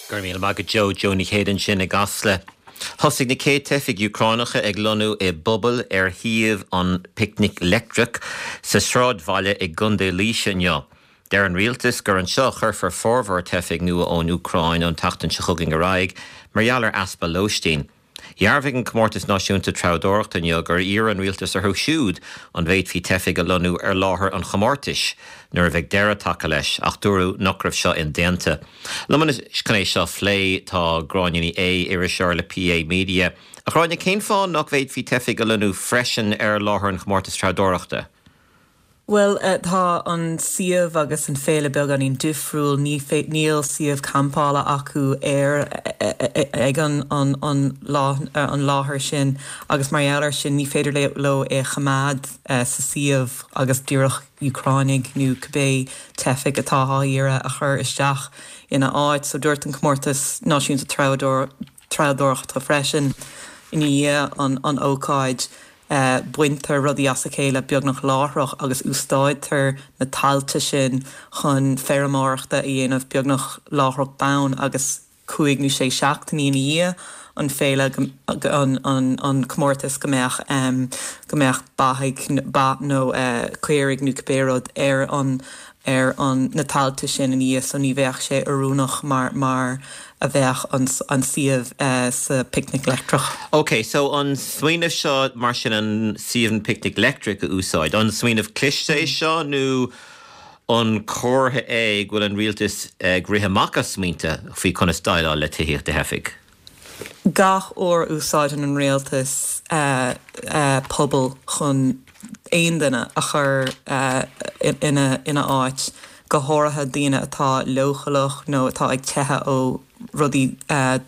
Go raibh míle maith agat Joe, Joe Ní Chéide ansin i gCasla. Thosaigh na chéad teifigh Úcránacha ag lonnú i bpubaill ar shuíomh an Picnic Leictreach sa sráidbhaile i gContae Laoise inniu. Deir an rialtas gur anseo a chuirfear formhór teifigh nua ón Úcráin ón tseachtain seo chugainn ar aghaidh mar gheall ar easpa lóistín. Dhearbhaigh an Comórtas Náisiúnta Treabhdóireachta inniu gur iarr an rialtas orthu siúd an bhféadfaí teifigh a lonnú ar láthair an chomórtais nuair a bheidh deireadh tagtha leis, ach dúradh nach raibh seo indéanta. Liom anois chun é seo a phlé tá Gráinne Ní Aodha, iriseoir le PA Media. A Ghráinne, cén fáth nach bhféadfaí teifigh a lonnú freisin ar láthair an chomórtais treabhdóireachta? Bhuel, tá an suíomh agus an féile beagáinín difriúil. Ní níl suíomh campála acu ar ag an an an an láthair sin agus mar gheall air sin ní féidir leo é a choimeád sa suíomh agus díreach Úcránaigh nó cibé teifigh atá á iarraidh a chur isteach ina áit. So dúirt an Comórtas Náisiúnta Treabhdóireachta freisin ina dhiaidh an an ócáid Baintear rudaí as a chéile beagnach láithreach agus úsáidtear na tailte sin chun feirmeoireachta a dhéanamh beagnach láithreach bonn agus cúig nó sé seachtainí ina dhiaidh an féile, an comórtas go mbeadh go mbeadh beithígh, ba nó caoirigh nó cibé rud ar an ar an na tailte sin ina dhiaidh so ní bheadh sé oiriúnach mar mar a bheadh an an suíomh sa Picnic Leictreach. Ok, so an smaoineamh seo mar sin an suíomh an Picnic Leictreach a úsáid, an smaoineamh cliste é seo nó an comhartha é go bhfuil an rialtas ag rith amach as smaointe faoi conas déileáil le tithíocht do theifigh? Gach uair a úsáideann an rialtas puball chun aon duine a chur ina áit, go háirithe daoine atá leochaileach nó atá ag teitheadh ó rudaí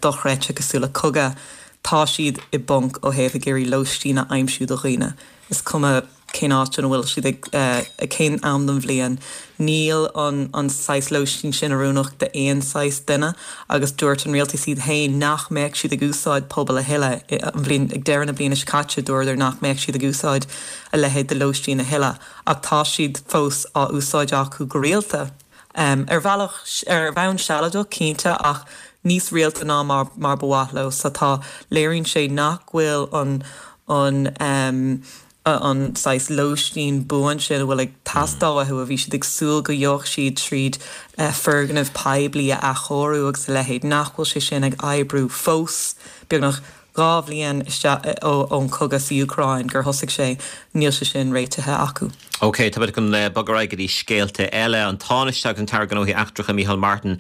dochreidte cosúil le cogadh, tá siad i bponc ó thaobh ag iarraidh lóistín a aimsiú do dhaoine. Is cuma. cén áit ina bhfuil siad ag, ag cén am den bhliain. Níl an an saghas lóistín sin oiriúnach d'aon saghas duine agus dúirt an rialtas iad féin nach mbeadh siad ag úsáid puball a thuilleadh an bhliain, ag deireadh na bliana seo caite dúradar nach mbeadh siad ag úsáid a leithéid de lóistín a thuilleadh ach tá siad fós á úsáid acu go rialta. Ar bhealach, ar bhonn sealadach cinnte ach níos rialta ná mar mar ba mhaith leo. So tá, léiríonn sé nach bhfuil an an an saghas lóistín buan sin a bhfuil ag teastáil uathu, a bhí siad ag súil go gheobhadh siad tríd foirgnimh poiblí a athchóiriú agus a leithéid, nach bhfuil sé sin ag oibriú fós, beagnach 2 bhliain isteach ón chogadh sa Úcráin gur thosaigh sé, níl sé sin réitithe acu. OK, tá muid chun bogadh ar aghaidh go dtí scéalta eile. An Tánaiste agus an tAire Gnóthaí Eachtracha Micheál Martin,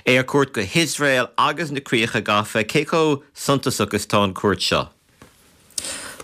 é ar cuairt go hIosrael agus na Críocha Gafa. Cé chomh suntasach is atá an cuairt seo?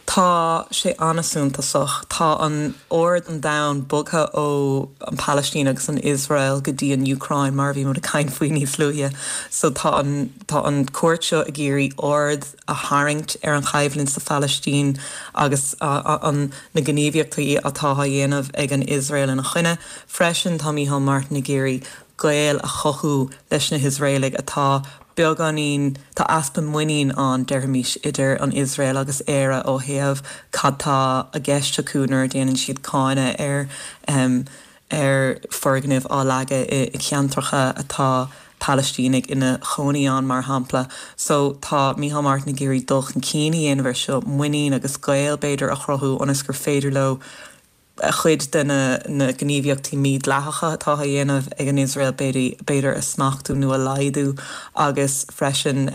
Tá sé an-suntasach. Tá an aird an domhain bogtha ó an Phalaistín agus an Iosrael go dtí an Úcráin, mar a bhí muid ag caint faoi níos luaithe. So tá an tá an cuairt seo ag iarraidh aird a tharraingt ar an choimhlint sa Phalaistín agus an na gníomhaíochtaí atá á dhéanamh ag an Iosrael ina choinne. Freisin tá Micheál Martin ag iarraidh gaol a chothú leis na hIosraelaigh atá beagáinín, tá easpa muinín ann, déarfaimis, idir an Iosrael agus Éire ó thaobh cad tá i gceist acu nuair a déanann siad cáineadh ar ar foirgnimh á leagadh i gceantracha atá Palaistínigh ina chónaí ann, mar shampla. So tá Micheál Martin ag iarraidh dul chun cinn a dhéanamh ar seo, muinín agus gaol, b'fhéidir, a chruthú ionas gur féidir leo cuid de na gníomhaíochtaí mídhleathacha atá á dhéanamh ag an Iosrael, b'fhéidir, a smachtú nó a laghdú agus freisin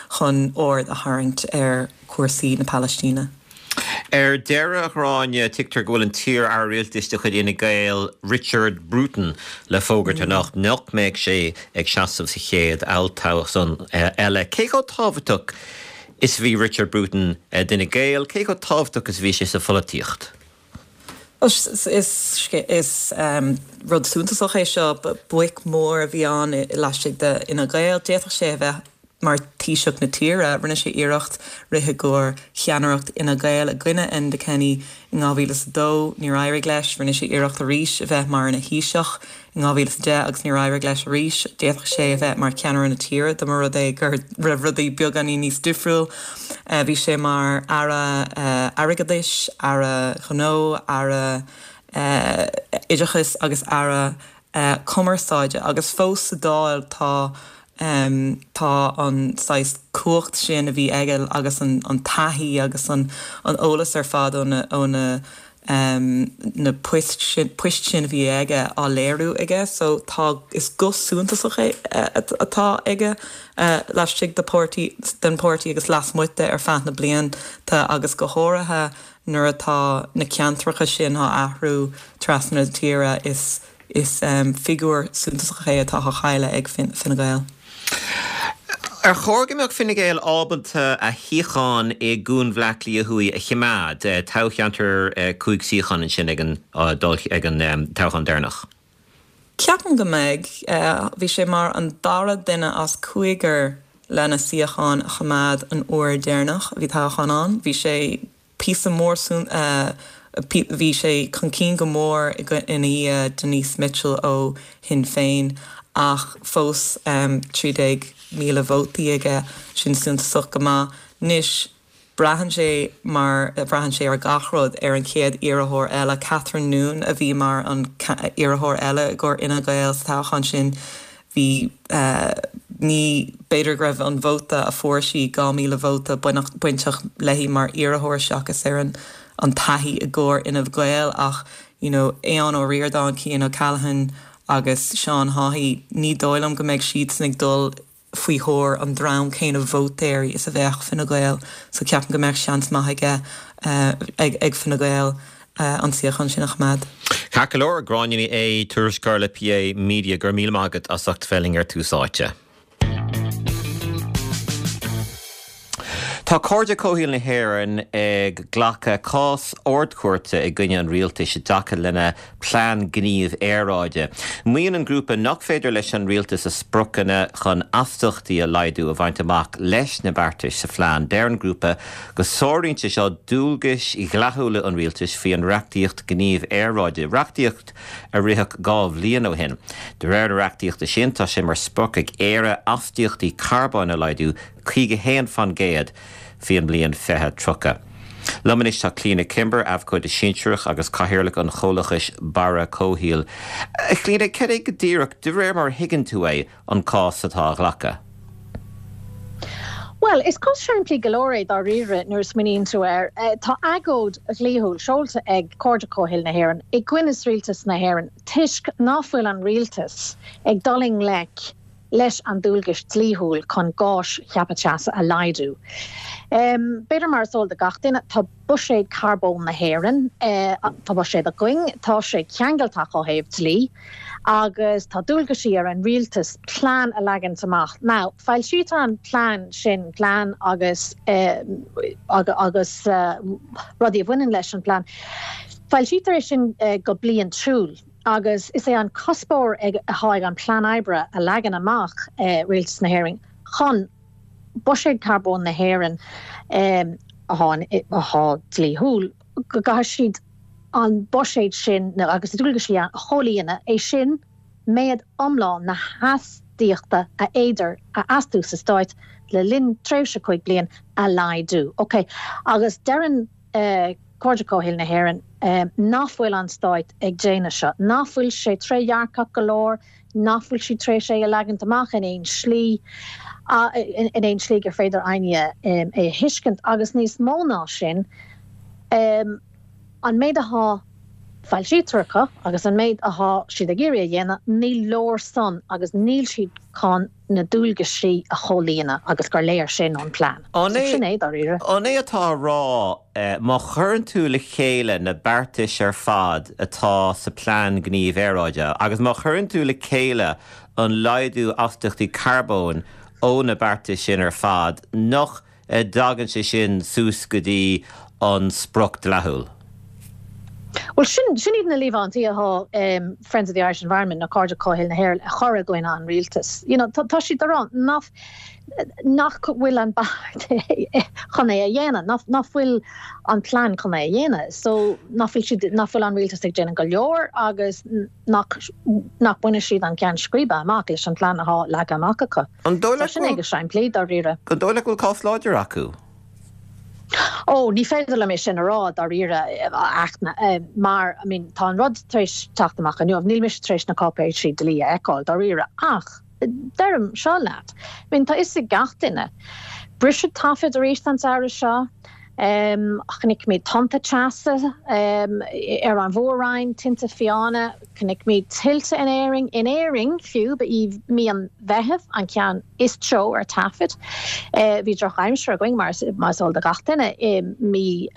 chun aird a tharraingt ar chúrsaí na Palaistíne. Ar deireadh, a Ghráinne, tuigtear go bhfuil an t-iar-aire rialtais de chuid Fhine Gael, Richard Bruton, le fógairt anocht nach mbeidh sé ag seasamh sa chéad olltoghchán eile. Cé chomh tábhachtach is a bhí Richard Bruton d'Fhine Gael? Cé chomh tábhachtach is a bhí sé sa pholaitíocht? Is rud suntasach é seo. Boic mhór a bhí ann laistigh de Fhine Gael. D'fhéadfadh sé a bheith mar Taoiseach na tíre. Rinne sé iarracht rith i gcomhair cheannaireacht Fhine Gael i gcoinne Enda Kenny in 2002. Níor éirigh leis. Rinne sé iarracht arís a bheith mar ina Thaoiseach in 2010 agus níor éirigh leis arís. D'fhéadfadh sé a bheith mar cheannaire na tíre dá mba rud é go raibh rudaí beagáinín níos difriúil. Bhí sé mar Aire Airgeadais, Aire Gnó, Aire Oideachais agus Aire Cumarsáide agus fós sa Dáil tá. Tá an saghas cumhacht sin a bhí aige agus an taithí agus an eolas ar fad ó na na poist sin poist sin a bhí aige á léiriú aige. So tá, is guth suntasach é atá aige laistigh de páirtí, den pháirtí agus lasmuigh de ar feadh na blianta agus go háirithe nuair atá na ceantracha sin á athrú trasna na tíre is Is figiúr suntasach é atá á chailleadh ag Fine Gael. Ar chóir go mbeadh Fine Gael ábalta a shuíochán i gCuan Bhleá Cliath Thuaidh a choimeád, toghcheantar 5 suíochán ansin ag an ag an toghchán deireanach? Ceapaim go mbeidh. Bhí sé mar an dara duine as cúigear lena suíochán a choimeád an uair deireanach a bhí toghchán ann. Bhí sé píosa mór bhí sé chun cinn go mór ina dhiaidh Denise Mitchell ó Shinn Féin ach fós 13,000 vótaí aige, sin suntasach go maith. Anois braitheann sé, mar a bhraitheann sé ar gach rud, ar an chéad iarrthóir eile, Catherine Noone a bhí mar an iarrthóir eile i gcomhair Fhine Gael sa toghchán sin. Bhí, ní, b'fhéidir go raibh an vóta a fuair sí, 2,000 vóta, bainteach léi mar iarrthóir seachas ar an an taithí i gcomhair Fhine Gael ach you know Aodhán Ó Ríordáin, Cian O'Callaghan agus Seán Haughey, ní dóigh liom go mbeidh siadsan ag dul faoi thóir an dream céanna vótóirí is a bheadh Fine Gael so ceapaim go mbeadh seans maith aige, ag, ag Fine Gael. an suíochán sin a choimeád. Ceart go leor, Gráinne Ní Aodha, tuairisceoir le PA Media, go raibh míle maith agat as ucht bheith linn ar Tús Áite. Tá Cairde Comhshaoil na hÉireann ag glacadh cás Ard-Chúirte i gcoinne an rialtais i dtaca lena Plean Gnímh Aeráide. Maíonn an grúpa nach féidir leis an rialtas a spriocanna chun astaíochtaí a laghdú a bhaint amach leis na beartais sa phlean. Deir an grúpa go sáraíonn sé seo dualgais dhleathúla an rialtais faoi an reachtaíocht Gnímh Aeráide, reachtaíocht a ritheadh 2 bhliain ó shin. De réir na reachtaíochta sin, tá sé mar sprioc ag Éire astaíochtaí carbóin a laghdú 51 fan gcéad faoin mbliain 2030. Liom anois tá Clíona Kimber, Abhcóide Sinsearach agus Cathaoirleach an chomhlachais Barra Comhshaoil. A Chlíona, cad é go díreach, de réir mar a thuigeann tú é, an cás atá á ghlacadh? Bhuel, is cás simplí go leor é dáiríre nuair a smaoiníonn tú air. Tá agóid dhlíthiúil seolta ag Cairde Comhshaoil na hÉireann i gcoinne Rialtas na hÉireann toisc ná fuil an rialtas ag dul i ngleic leis an dualgais dlíthiúil chun gáis cheaptha teasa a laghdú. B'fhéidir mar is eol do gach duine, tá buiséad carbóin na hÉireann, tá buiséad againn, tá sé ceangailteach ó thaobh dlí agus tá dualgaisí ar an rialtas plean a leagaint amach. Now, foilsítear an plean sin, plean agus agus rudaí a bhaineann leis an bplean, foilsítear é sin go bliantúil. Agus is é an cuspóir atá ag an plean oibre a leagann amach Rialtas na hÉireann chun buiséad carbóin na hÉireann atá dlíthiúil, go gcaithfidh siad an buiséad sin agus na dualgaisí a chomhlíonadh, é sin méid iomlán na hastaíochta a fhéidir a astú sa Stáit le linn tréimhse 5 bliain a laghdú. Ok, agus deireann. Cairde Comhshaoil na hÉireann, nach bhfuil an Stáit ag déanamh seo, nach bhfuil sé trédhearcach go leor, nach bhfuil siad tar éis é a leagaint amach in aon slí, in aon slí gur féidir éinne é a thuiscint agus níos mó ná sin, an méid atá foilsíte acu agus an méid atá siad ag iarraidh a dhéanamh, ní leor san agus níl siad chun na dualgaisí a chomhlíonadh agus gur léir sin ón bplean. An é, Sin é, dáiríre. An é atá á rá, má chuireann tú le chéile na beartais ar fad atá sa Plean Gnímh Aeráide agus má chuireann tú le chéile an laghdú astaíochtaí carbóin ó na beartais sin ar fad, nach dtagann sé sin suas go dtí an sprioc dleathúil? Bhuel, sin, sin iad na líomhaintí atá Friends of the Irish Environment, nó Cairde Comhshaoil na hÉireann, a chur i gcoinne an rialtais. You know, tá, tá siad ag rá nach, nach bhfuil an beart chun é a dhéanamh, nach, nach bhfuil an plean chun é a dhéanamh. So, nach bhfuil siad, nach bhfuil an rialtas ag déanamh go leor agus nach, nach mbainfidh siad an ceann scríbe amach leis an phlean atá leagtha amach acu. An dóigh leat go bhfuil. Sin é go simplí, dáiríre. An dóigh leat go bhfuil cás láidir acu? Ó, ní féidir liom é sin a rá, dáiríre, a Fhachtna, mar, I mean, tá an rud tar éis teacht amach inniu, níl mise tar éis na cáipéisí dlí a fheiceáil, dáiríre, ach. Deirim seo leat, I mean tá fhios ag gach duine, briseadh taifid arís an samhradh seo, chonaic muid tonnta teasa ar an mhór-roinn, tinte fiáine, chonaic muid tuilte in Éirinn, in Éirinn fiú, ba í mí an Mheithimh an ceann is teo ar taifead. Bhí drochaimsir againn, mar is eol do gach duine, i mí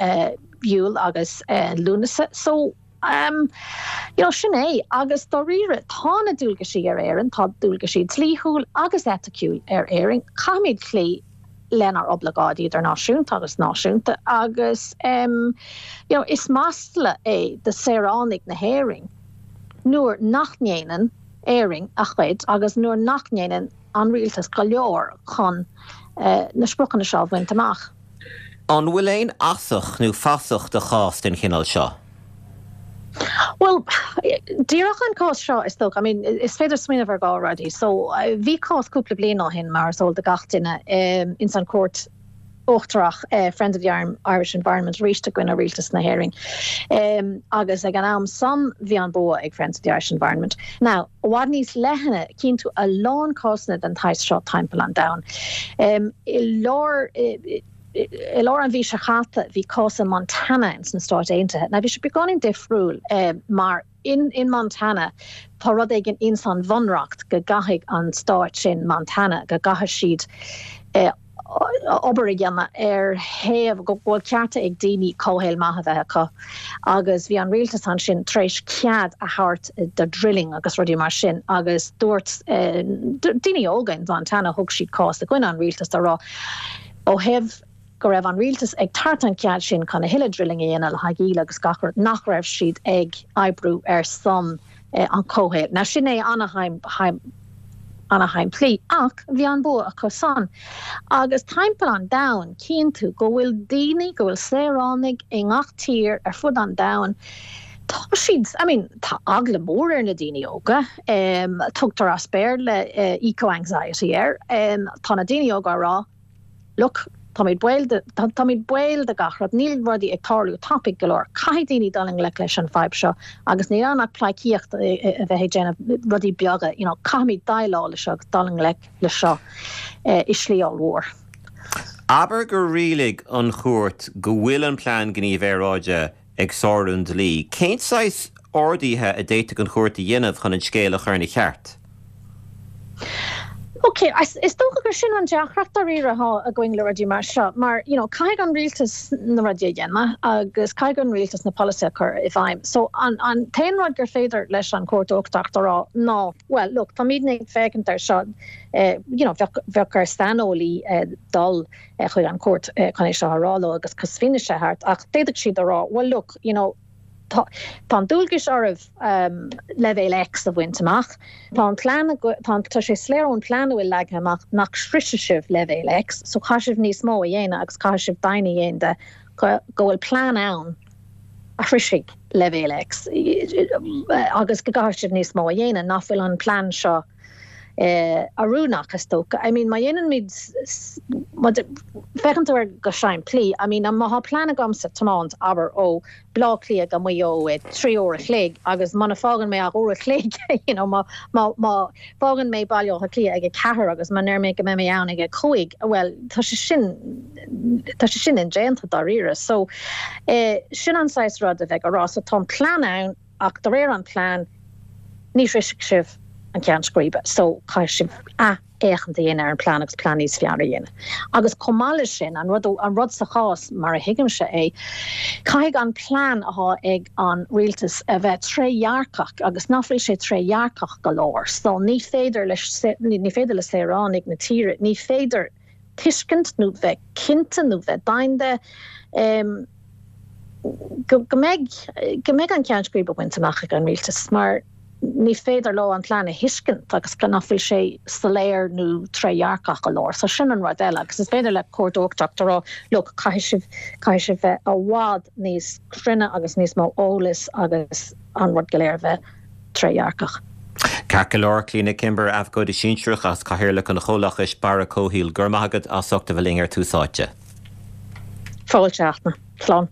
Iúil agus Lúnasa. So. You know, sin é. Agus dáiríre, tá na dualgaisí ar Éirinn, tá dualgaisí dlíthiúil agus eiticiúil ar Éirinn. Caithfimid cloí lenár oibleagáidí idirnáisiúnta agus náisiúnta agus you know, is masla é do saoránaigh na hÉireann nuair nach ndéanann Éirinn a chuid agus nuair nach ndéanann an rialtas go leor chun na spriocanna seo a bhaint amach. An bhfuil aon fhasach nó fasach do chás den chineál seo? Bhuel, díreach an cás seo, is dócha. I mean, is féidir smaoineamh ar dhá rudaí. So, bhí cás cúpla bliain ó shin, mar is eol do gach duine, ins an Chúirt Uachtarach, Friends of the Irish Environment arís i gcoinne Rialtas na hÉireann. Agus ag an am san, bhí an bua ag Friends of the Irish Environment. Now, i bhfad níos leithne, cíonn tú a lán cásanna den tsaghas seo timpeall an domhain. I lár i lár an mhí seo chaite bhí cás i Montana ins na Stáit Aontaithe. Now bhí sé beagáinín difriúil mar in in Montana tá rud éigin ins an bhunreacht go gcaithfidh an stáit sin Montana go gcaithfidh siad obair a dhéanamh ar thaobh go bhfuil cearta ag daoine comhshaol maith a bheith acu agus bhí an rialtas ansin tar éis cead a thabhairt do drilling agus rudaí mar sin agus dúirt daoine óga in Montana thug siad cás i gcoinne an rialtais á rá ó thaobh go raibh an rialtas ag tabhairt an cead sin chun a thuilleadh drilling a dhéanamh le haghaidh íle agus gach rud nach raibh siad ag oibriú ar son an comhshaoil. Now sin é ana-shimplí ach bhí an bua acu san. Agus timpeall an domhain cíonn tú go bhfuil daoine, go bhfuil saoránaigh i ngach tír ar fud an domhain, tá siad, I mean tá eagla mór ar na daoine óga, tugtar as Béarla eco-anxiety air, tá na daoine óga á rá, Look, táimid baol de, táimid baol de gach rud, níl rudaí ag tarlú tapaidh go leor, caithfidh daoine dul i ngleic leis an fadhb seo agus níl ann ach pleidhcíocht a bheith ag déanamh rudaí beaga, you know, caithfimid déileáil le seo agus dul i ngleic le seo i slí ollmhór. Abair gur rialaigh an chúirt go bhfuil an Plean Gnímh Aeráide ag sárú an dlí. Cén saghas orduithe a d'fhéadfadh an chúirt a dhéanamh chun an scéal a chur ina cheart? Ok, is dócha gur sin an deacracht dáiríre atá againn le rudaí mar seo, mar you know caithfidh an rialtas na rudaí a dhéanamh agus caithfidh an rialtas na polasaithe a chur i bhfeidhm. So an an t-aon rud gur féidir leis an Chúirt Uachtarach a rá ná, well look, táimidne ag féachaint ar seo, you know bheadh bheadh ar saineolaí dul chuig an chúirt chun é seo a rá leo agus fianaise a thabhairt ach d'fhéadfadh siad a rá well look, you know, tá tá an dualgas oraibh leibhéal X a bhaint amach, tá an plean tá tá sé soiléir ón plean a bhfuil leagtha amach nach sroisfidh sibh leibhéal X so caithfidh sibh níos mó a dhéanamh agus caithfidh sibh deimhin a dhéanamh de go go bhfuil plean ann a shroisfidh leibhéal X agus go gcaithfidh sibh níos mó a dhéanamh nach bhfuil an plean seo oiriúnach, is dócha. I mean, má dhéanann muid, má féachann tú air go simplí, I mean, má thá plean agamsa tiomáint, abair, ó Bleá Cliath go Maigh Eo i 3 uair a chloig agus muna fágann mé ach uair a chloig, you know, má, má, má fágann mé Baile Átha Cliath ag a ceathair agus má ndeir mé go mbeidh mé ann ag a cúig, bhuel, tá sé sin, tá sé sin indéanta dáiríre. So, sin an saghas rud a bheadh á rá. So, tá an plean ann. Ach de réir an plean, ní shroisfidh sibh an ceann scríbe, so caithfidh sibh athfhéachaint a dhéanamh ar an plean agus plean níos fearr a dhéanamh. Agus chomh maith leis sin, an rud, an rud sa chás, mar a thuigimse é, caithfidh an plean athá ag an rialtas a bheith trédhearcach agus nach bhfuil sé trédhearcach go leor. So ní féidir le, ní féidir le saoránaigh na tíre, ní féidir tuiscint nó bheith cinnte nó bheith deimhin de go mbeidh go mbeidh an ceann scríbe bainte amach ag an rialtas mar ní féidir leo an plean a thuiscint agus nach bhfuil sé soiléir nó trédhearcach go leor. So sin an rud eile agus is féidir le Cúirt Uachtarach a rá look caithfidh sibh caithfidh sibh bheith i bhfad níos cruinne agus níos mó eolais agus an rud go léir a bheith trédhearcach. Ceart go leor, Clíona Kimber, Abhcóide Sinsearach agus Cathaoirleach an Chomhlachais Barra Comhshaoil, go raibh maith agat as ucht a bheith linn ar Tús Áite. Fáilte, Fhachtna. Slán.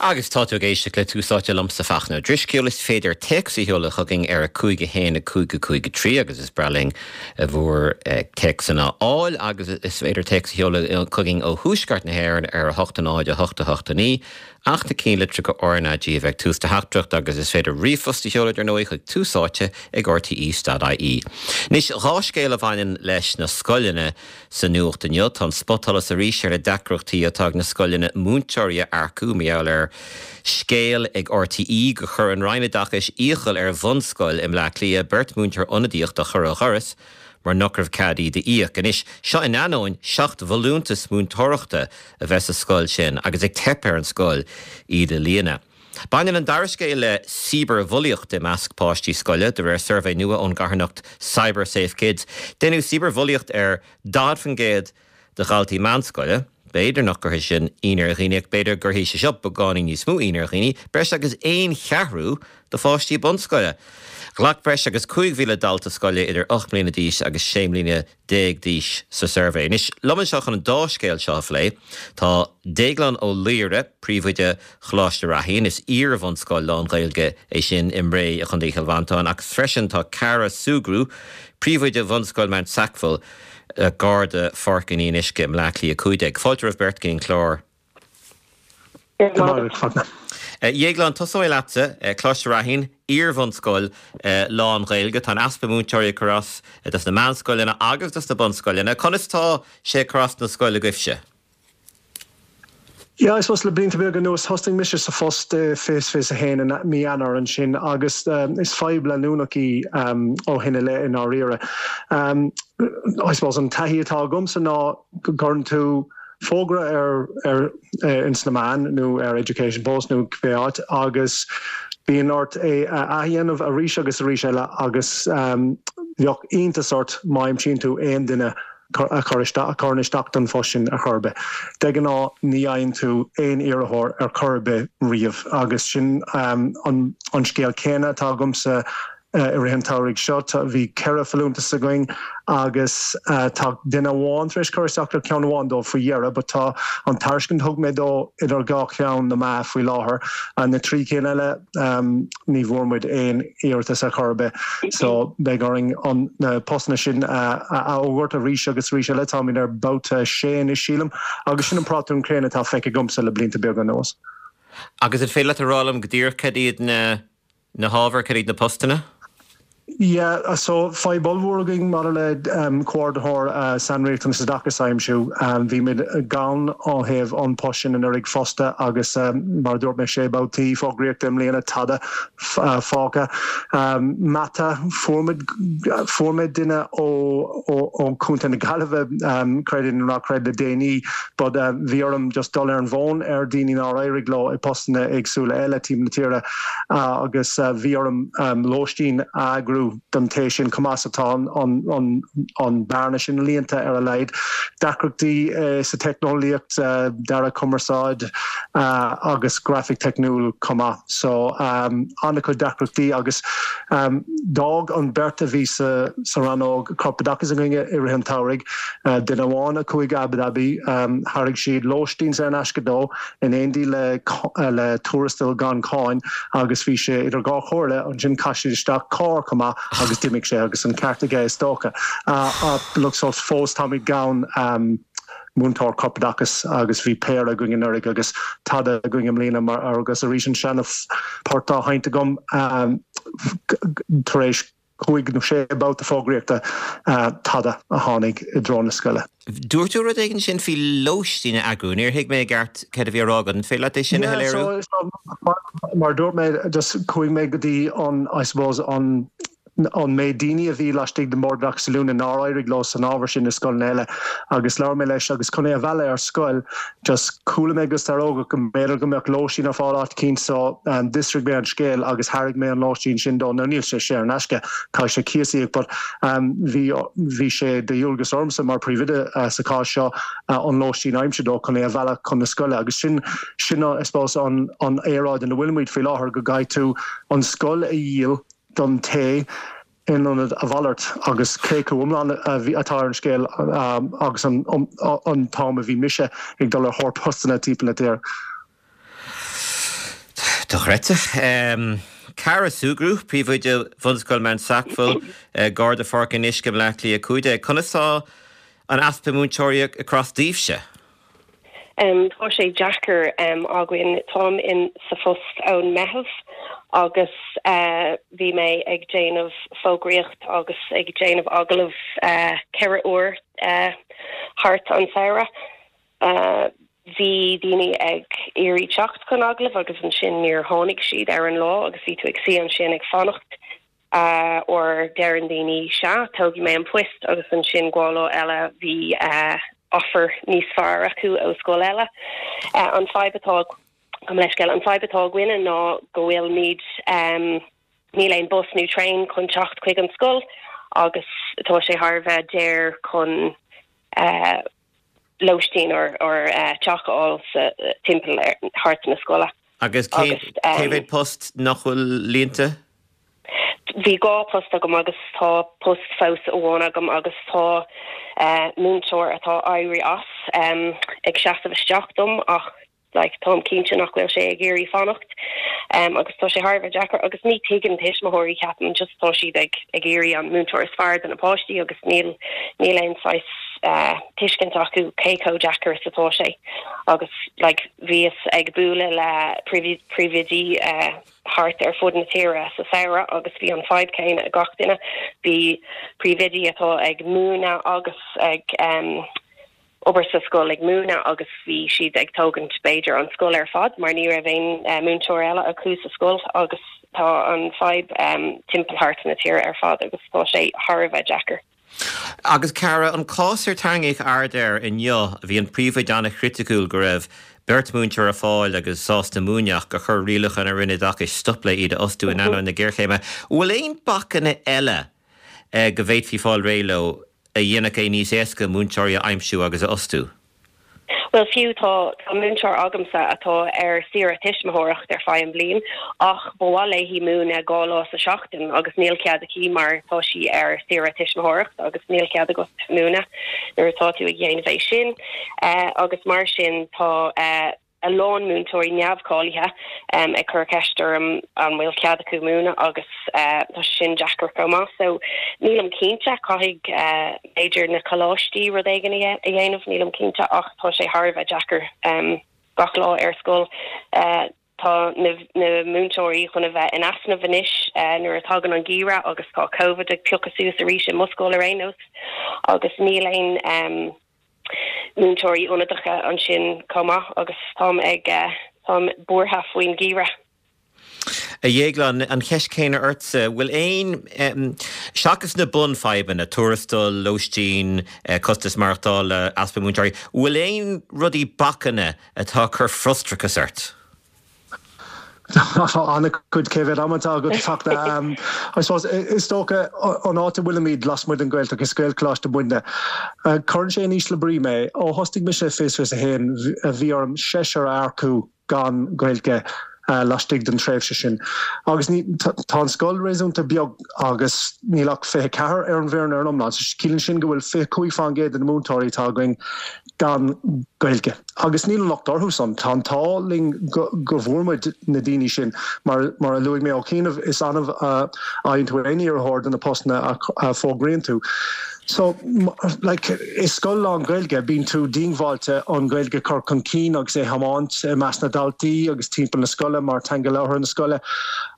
Agus tá tú ag éisteacht le Tús Áite liomsa Fachtna Ó Drisceoil. Is féidir téacs a sheoladh chugainn ar 5 1 5 5 3 agus is breá linn bhur téacsanna a fháil agus is féidir téacs a sheoladh chugainn ó thuaisceart na hÉireann ar 8 0 8 8 9 ach na cinnlitreacha RnaG a bheith ag tús do theachtaireacht agus is féidir ríomhphost a sheoladh dar ndóigh chuig Tús Áite ag rte.ie. Anois, 2 scéal a bhaineann leis na scoileanna Sa nuacht inniu, tá an spotsholas arís ar na deacrachtaí atá ag na scoileanna múinteoirí a earcú mar gheall ar scéal ag RTÉ gur chuir an Roinn Oideachais iachall ar bhunscoil i mBleá Cliath beirt mhúinteoir ionadaíochta a chur ó dhoras mar nach raibh cead iad a íoc. Anois, seo in ainneoin 7 bhfolúntas múinteoireachta a bheith sa scoil sin agus ag teip ar an scoil iad a líonadh. Baineann an dara scéal le cibearbhulaíocht i measc páistí scoile, de réir suirbhé nua ón gcarthanacht CyberSafeKids. Deineadh cibearbhulaíocht ar 40% de dhaltaí meánscoile. B'fhéidir nach gcuirfidh sin ionadh ar dhaoine ach b'fhéidir go gcuirfidh sé seo beagáinín níos mó ionadh ar dhaoine, breis agus aon cheathrú de pháistí bunscoile. Ghlac breis agus 5,000 dalta scoile idir 8 mbliana d'aois agus 16 mbliana d'aois sa suirbhé. Anois, liom anseo chun an dá scéal seo a phlé, tá Déaglán Ó Laoghaire, príomhoide Choláiste Raithín, is iar-bhunscoil lán-Ghaeilge é sin i mBré i gContae Chill Mhantáin, agus freisin tá Cara Sugrue, príomhoide Bhunscoil Mount Sackville, gar do Pháirc an Fhionnuisce i mBleá Cliath 15. Fáilte romhaibh beirt go dtí an clár. Go raibh maith agat, Fachtna. A Dhéagláin, tosóidh mé leatsa. Coláiste Raithín, iar-bhunscoil lán-Ghaeilge. Tá an easpa múinteoirí ag cur as dos na meánscoileanna agus dos na bunscoileanna. Conas tá sé ag cur as don scoil agaibhse? Yeah, I suppose le blianta beaga anuas, thosnaigh mise sa phost i 2021 i mí Eanáir ansin agus is fadhb leanúnach í ó shin i leith i ndáiríre. I suppose an taithí atá agamsa ná go gcuireann tú fógra ar ar ins na meáin nó ar Education Post nó cibé áit agus bíonn ort é a athdhéanamh arís agus arís eile agus bheadh iontas ort má aimsíonn tú aon duine a chur isteach, a chuireann isteach don phost sin ar chor ar bith. De ghnáth ní fhaigheann tú aon iarrthóir ar chor ar bith riamh agus sin an an scéal céanna atá agamsa I rith an tsamhraidh seo bhí 4 folúntas againn agus tá duine amháin tar éis cur isteach ar cheann amháin dóibh faoi dheireadh but tá an tairiscint a thug mé dó idir dhá cheann na meá faoi láthair. Na trí cinn eile ní bhfuair muid aon iarratas ar chor ar bith so beidh orainn an na postanna sin a fhógairt arís agus arís eile. Táimid ar babhta 6 anois sílim agus sin an pátrún céanna atá feicthe agamsa le blianta beaga anuas. Agus an féidir leat a rá liom go díreach cad iad na Na hábhair, cad iad na postanna? Yeah, so fadhb ollmhór againn maidir le comhordaitheoir sainriachtanas oideachais a aimsiú. Bhí muid gann ó thaobh an post sin anuraidh fosta agus mar a dúirt mé sé babhtaí fógraíochta i mbliana tada fágtha. Mata, fuair muid, fuair mé duine ó ó Chontae na Gaillimhe, creid é nó ná creid le déanaí but bhí orm just dul ar an bhfón ar daoine nár éirigh leo i postanna éagsúla eile timpeall na tíre. agus bhí orm lóistín a eagrú don té sin chomh maith so tá an bearna sin líonta ar a laghad. Deacrachtaí sa teicneolaíocht, dearadh cumarsáid agus grafaic teicniúil chomh maith. So an-chuid deacrachtaí agus d'fhág an bheirt a bhí sa rannóg corpoideachais againne i rith an tsamhraidh, duine amháin a chuaigh Abu Dhabi, thairg siad lóistín saor in aisce dó, in éindí le le tuarastal gan cháin agus bhí sé idir dhá chomhairle, ansin chaith siad isteach carr chomh maith agus d'imigh sé agus an ceart aige is dócha. Look so fós táimid gann múinteoir corpoideachais agus bhí péire againn anuraidh agus tada againn i mbliana mar agus arís an seana port á sheinnt agam tar éis 5 nó 6 babhta fógraíochta, tada a tháinig i dtreo na scoile. Dúirt tú rud éigin ansin faoi lóistín a eagrú. Níor thuig mé i gceart céard a bhí á rá agat. An féidir leat é sin a shoiléiriú? Yeah, so, mar a dúirt mé, just chuaigh mé go dtí an, I suppose, an an méid daoine a bhí laistigh den Bhord Oideachais Oiliúna nár éirigh leo san ábhar sin i scoileanna eile agus labhair mé leis agus chun é a mhealladh ar scoil Just chuala mé go starógach go mb'fhéidir go mbeadh lóistín ar fáil áit eicínt so d'fhiosraigh mé an scéal agus thairg mé an lóistín sin dó. Now níl sé saor in aisce, caithfidh sé cíos a íoc but bhí bhí sé de dhualgas ormsa mar phríomhoide sa chás seo an lóistín a aimsiú dó chun é a mhealladh chun na scoile agus sin sin I suppose an an aeráid ina bhfuil muid faoi láthair go gcaithfidh tú an scoil a dhíol don té in ionad a mhalairt agus claochlú iomlán atá ar an scéal agus an t-am a bhí mise ag dul ar thóir postanna timpeall na tíre. Dochreidte. Cara Sugrue, Príomhoide Bhunscoil Mount Sackville, gar do Pháirc an Fhionnuisce i mBleá Cliath 15. Conas tá an easpa múinteoirí ag cur as daoibhse? Tá sé deacair againn. Táim in sa phost ón Meitheamh agus bhí mé ag déanamh fógraíocht agus ag déanamh agallamh 4 uair thart an samhradh. Bhí daoine ag iarraidh teacht chun agallaimh agus ansin níor tháinig siad ar an lá agus bhí tú ag suí ansin ag fanacht or deireann daoine sea, tógfaidh mé an post agus ansin dhá lá eile bhí offer níos fearr acu ó scoil eile. An fadhb atá, gabh mo leithscéal, an fadhb atá againne ná go bhfuilimid, níl aon bus nó traein chun teacht chuig an scoil agus tá sé thar a bheith daor chun lóistín or teach a fháil sa timpeall thart na scoile. Agus cé mhéad post nach bhfuil líonta? Bhí 2 post agam agus tá post fós amháin agam agus tá múinteoir atá éirí as ag seasamh isteach dom ach like táim cinnte nach bhfuil sé ag iarraidh fanacht agus tá sé thar a bheith deacair agus ní tuigeann tuismitheoirí ceapaim just tá siad ag ag iarraidh an múinteoir is fearr do na páistí agus níl níl aon saghas tuiscint acu cé chomh deacair is atá sé agus like bhíos ag bualadh le príomhoidí thart ar fud na tíre sa samhradh agus bhí an fadhb céanna ag gach duine bhí príomhoidí atá ag múineadh agus ag obair sa scoil ag múineadh agus bhí siad ag tógaint b'fhéidir an scoil ar fad mar ní raibh aon múinteoir eile acu sa scoil agus tá an fadhb timpeall thart na tíre ar fad agus tá sé thar a bheith deacair. Agus Cara, an cás ar tarraingíodh aird air inniu, bhí an príomhoide an-chriticiúil go raibh beirt mhúinteoir ar fáil agus sásta múineadh ach gur chuir rialacha na Roinne Oideachais stop le iad a fhostú in ainneoin na géarchéime. Bhfuil aon bacanna eile go bhféadfaí fáil réidh leo a dhéanfadh é níos éasca múinteoirí a aimsiú agus a fhostú? Bhuel, fiú tá múinteoir agamsa atá ar saoire tuismitheoireacht ar feadh an bhliain ach ba mhaith léi múineadh 2 lá sa seachtain agus níl cead aici mar tá sí ar saoire tuismitheoireacht agus níl cead agat múineadh nuair atá tú ag dhéanamh é sin agus mar sin tá a lán múinteoirí neamhcháilithe ag cur ceist orm an bhfuil cead acu múineadh agus tá sé sin deacair chomh maith. So nílim cinnte, caithfidh b'fhéidir na coláistí rud éigin a dhéanamh, nílim cinnte ach tá sé thar a bheith deacair gach lá ar scoil. Tá na múinteoirí chun a bheith in easnamh anois nuair a tagann an geimhreadh agus tá Covid ag piocadh suas arís i mo scoil ar aon nós agus níl aon múinteoirí ionadacha ansin chomh maith agus táim ag, táim buartha faoin gheimhreadh. A Dhéagláin, an cheist chéanna ortsa, bhfuil aon, seachas na bunfhadhbanna, tuarastal, lóistín, costas maireachtála, easpa múinteoirí, bhfuil aon rudaí, bacanna atá ag cur frustrachas ort? Tá an-chuid, cé mhéad am atá agat Fachtna? I suppose, is dócha an áit a bhfuilimid lasmuigh den Ghaeltacht, is Gaelcholáiste muidne. Cuireann sé in ísle brí mé. Ó thosaigh mise i 2021, bhí orm seisear a earcú gan Gaeilge laistigh den tréimhse sin. Agus ní, tá an scoil réasúnta beag agus níl ach 24 ar an bhfoireann ar an iomlán. So ciallaíonn sin go bhfuil 25% de na múinteoirí atá againn gan Gaeilge. Agus níl an locht orthu san. Tá an t-ádh linn go bhfuair muid na daoine sin. Mar mar a luaigh mé ó chianaibh, is annamh a fhaigheann tú aon iarrthóir do na postanna a fógraíonn tú. So, like, i scoil lán-Ghaeilge, bíonn tú díongbháilte an Ghaeilge a chur chun cinn agus é a thiomáint i measc na ndaltaí agus timpeall na scoile mar teanga labhartha na scoile.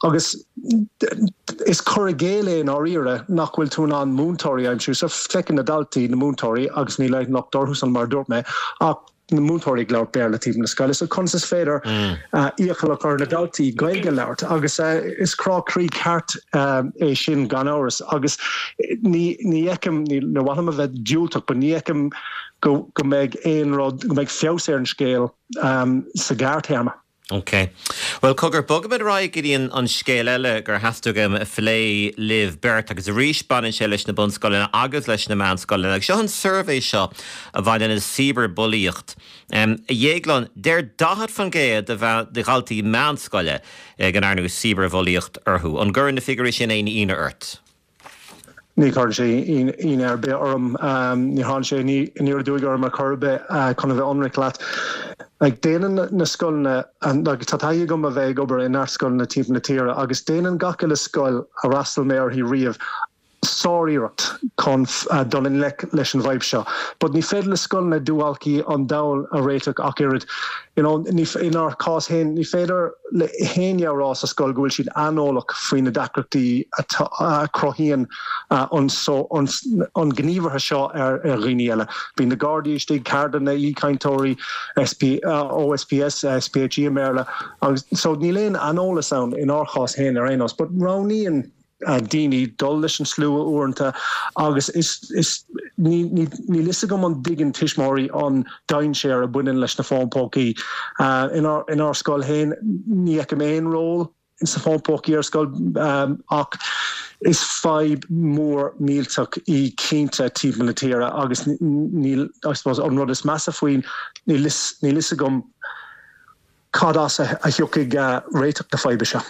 Agus Is cur i gcéill é i ndáiríre nach bhfuil tú in ann múinteoirí a aimsiú. So feiceann na daltaí na múinteoirí agus níl aon locht orthu san mar a dúirt mé ach na múinteoirí ag labhairt Béarla timpeall na scoile. So conas is féidir iachall a chur ar na daltaí Gaeilge a labhairt? Agus is crá croí ceart é sin gan amhras agus ní ní fheicim, ní mhaith liom a bheith diúltach but ní fheicim go go mbeidh aon rud, go mbeidh feabhas ar an scéal sa ghearrthéarma. Ok. Bhuel, cogar, bogfaimid ar aghaidh go dtí an scéal eile gur theastaigh uaim a phlé libh beirt, agus arís baineann sé leis na bunscoileanna agus leis na meánscoileanna. Agus seo an suirbhé seo a bhaineann le cibearbhulaíocht. A Dhéagláin, deir 40% de dhaltaí meánscoile go ndearnadh cibearbhulaíocht orthu. An gcuireann na figiúirí sin aon ionadh ort? Ní chuireann sé ionadh ar bith orm. Ní thagann sé aniar aduaidh orm ar chor ar bith, chun a bheith ionraic leat. Like, déanann na scoileanna, like, tá taithí agam a bheith ag obair i neart scoileanna timpeall na tíre agus déanann gach uile scoil a fhreastail mé uirthi riamh sár-iarracht chun dul i ngleic leis an bhfadhb seo. But ní féidir le scoileanna duáilcí an domhain a réiteach ach oiread. You know, ní, inár cás féin, ní féidir le héinne a rá sa scoil go bhfuil siad aineolach faoi na deacrachtaí a chruthaíonn an an gníomhartha seo ar dhaoine eile. Bíonn na Gardaí istigh, ceardlanna, aoichainteoirí, SP, OSPS, SPHE i mBéarla, agus so níl aon aineolas ann inár chás féin ar aon nós. But roghnaíonn daoine dul leis an slua uaireanta agus is, is, ní, ní, níl fhios agam an dtuigeann tuismitheoirí an dainséar a bhaineann leis na fóin pócaí. Inár, inár scoil féin ní fheicim aon ról sna fóin pócaí ar scoil ach is fadhb mhór millteach í cinnte timpeall na tíre agus níl, I suppose, an rud is measa faoi níl fhios, níl fhios agam Cad as a thiocfaidh réiteach na faidhbe seo?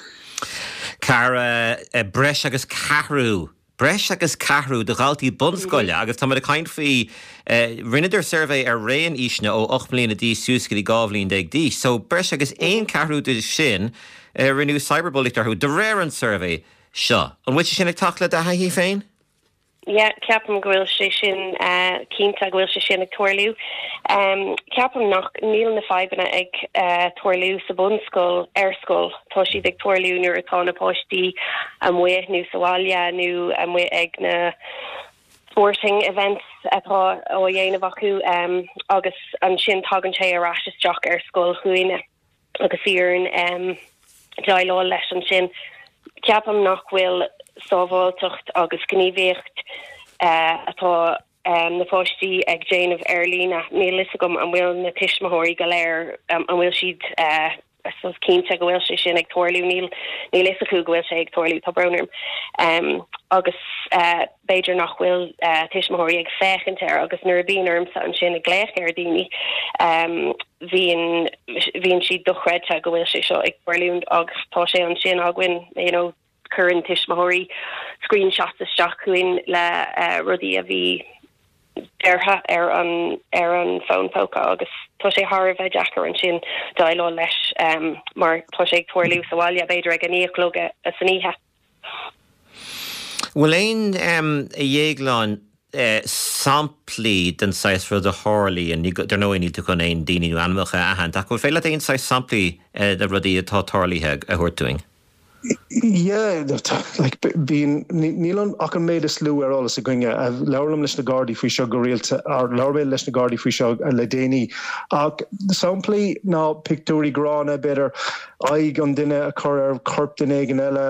Cara, breis agus ceathrú, breis agus ceathrú de dhaltaí bunscoile, agus táimid ag caint faoi, rinneadar suirbhé ar raon aoiseanna ó 8 mbliana d'aois suas go dtí 12 bhliain d'aois, so breis agus aon cheathrú de sin, rinneadh cyberbullying orthu, de réir an tsuirbhé seo. An bhfuil sé sin ag teacht le do thaithí féin? Yeah, ceapaim go bhfuil sé sin, cinnte go bhfuil sé sin ag tarlú. Ceapaim nach, níl na fadhbanna ag tarlú sa bhunscoil ar scoil, tá siad ag tarlú nuair atá na páistí amuigh nó sa bhaile nó amuigh ag na sporting events atá á dhéanamh acu agus ansin tagann sé ar ais isteach ar scoil chugainne. agus bhí orainn déileáil leis ansin. Ceapaim nach bhfuil sábháilteacht agus gníomhaíocht atá na páistí ag déanamh ar líne, níl fhios agam an bhfuil na tuismitheoirí go léir, an bhfuil siad I suppose cinnte go bhfuil sé sin ag tarlú, níl níl fhios acu go bhfuil sé ag tarlú, tá brón orm. Agus b'fhéidir nach bhfuil tuismitheoirí ag féachaint air agus nuair a bhíonn ormsa ansin ag glaoch ar daoine, bhíonn bhíonn siad dochreidte go bhfuil sé seo ag tarlúint agus tá sé ansin againn you know cuireann tuismitheoirí screenshots isteach chugainn le rudaí a bhí deartha ar an ar an bhfón póca agus tá sé thar a bheith deacair ansin déileáil leis mar tá sé ag tarlú sa bhaile b'fhéidir ag a 9 a chlog san oíche. Bhfuil aon, a Dhéagláin, samplaí den saghas rud a tharlaíonn, dar ndóigh níl tú chun aon daoine nó ainmneacha a aithint, ach bhfuil féidir leat aon saghas samplaí de rudaí atá tarlaithe a thabhairt dúinn? Yeah, like, bíonn, níl an, ach an méid is lú ar eolas againne. Labhraím leis na Gardaí faoi seo go rialta, or labhair mé leis na Gardaí faoi seo le déanaí. Ach samplaí ná pictiúirí gránna, b'fhéidir, aghaidh an duine a chur ar chorp duine éigin eile,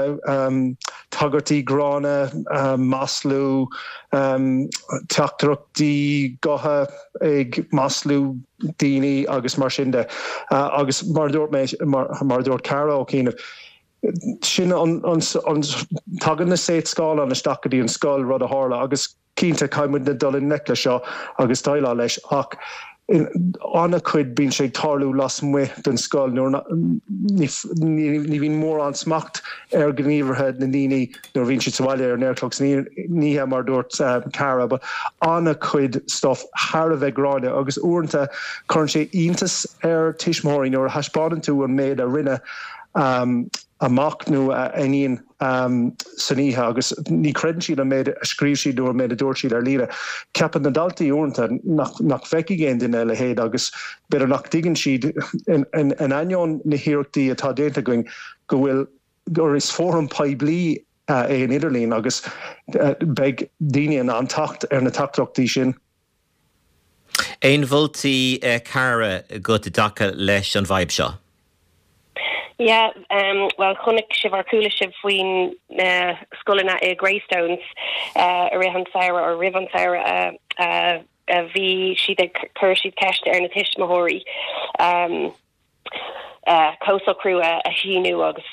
tagairtí gránna, maslú, teachtaireachtaí gutha ag maslú daoine agus mar sin de. Agus mar a dúirt mé, mar a dúirt Cara ó chianaibh, sin an, tagann na seacht scáileán isteach go dtí an scoil, rud a tharla agus, Cinnte, caithfidh muidne dul i ngleic leis seo agus déileáil leis ach in an-chuid bíonn sé ag tarlú lasmuigh den scoil nuair ní bhíonn mórán smacht ar ghníomhartha na ndaoine nuair a bhíonn siad sa bhaile ar a naoi a chlog san oíche mar a dúirt Cara but an-chuid stuff thar a bheith gránna agus uaireanta cuireann sé iontas ar tuismitheoirí nuair a thaispeánann tú an méid a rinne a mac nó a iníon san oíche agus ní chreideann siad an méid a scríobh siad nó an méid a dúirt siad ar líne. Ceapann na daltaí uaireanta nach nach bhfeicfidh aon duine a leithéid agus b'fhéidir nach dtuigeann siad, in ainneoin na hiarrachtaí atá déanta againn, go bhfuil gur is fóram poiblí é an idirlíon agus beidh daoine in ann teacht ar na teachtaireachtaí sin. Aon mholtaí, Cara, agat i dtaca leis an bhfadhb seo? Yeah, bhuel chonaic sibh or chuala sibh faoin na scoileanna i Greystones i rith an samhradh or roimh an samhradh a bhí siad ag chuir siad ceist ar na tuismitheoirí comhshocrú a shíniú agus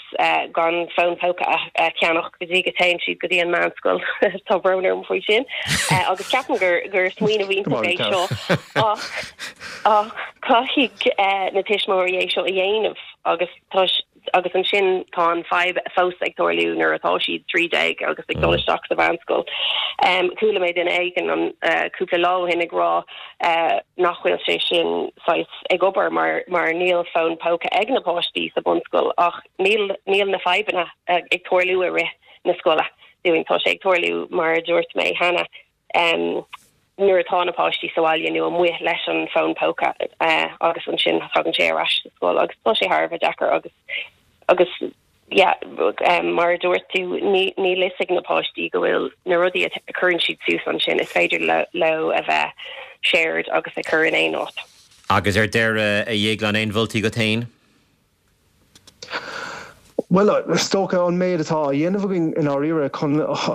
gan fón póca a cheannach go dtí go dtéann siad go dtí an meánscoil. Tá brón orm faoi sin. Agus ceapaim gur gur smaoineamh iontach é seo ach ach caithfidh na tuismitheoirí é seo a dhéanamh agus tá. agus ansin tá an fadhb fós ag tarlú nuair atá siad 13 agus ag dul isteach sa mheánscoil. Chuala mé duine éigin an cúpla lá ó shin ag rá nach bhfuil sé sin saghas ag obair mar mar níl fón póca ag na páistí sa bunscoil ach níl níl na fadhbanna ag tarlú i rith na scoile dúinn. Tá sé ag tarlú mar a dúirt mé cheana. nuair atá na páistí sa bhaile nó amuigh leis an bhfón póca agus ansin tagann sé ar ais sa scoil agus tá sé thar a bheith deacair agus agus yeah mar a dúirt tú ní níl fhios ag na páistí go bhfuil na rudaí a chuireann siad suas ansin is féidir leo a bheith shared agus a chur in aon áit. Agus ar deireadh, a Dhéagláin, aon mholtaí agat féin? Bhuel, is dócha an méid atá á dhéanamh againn i ndáiríre chun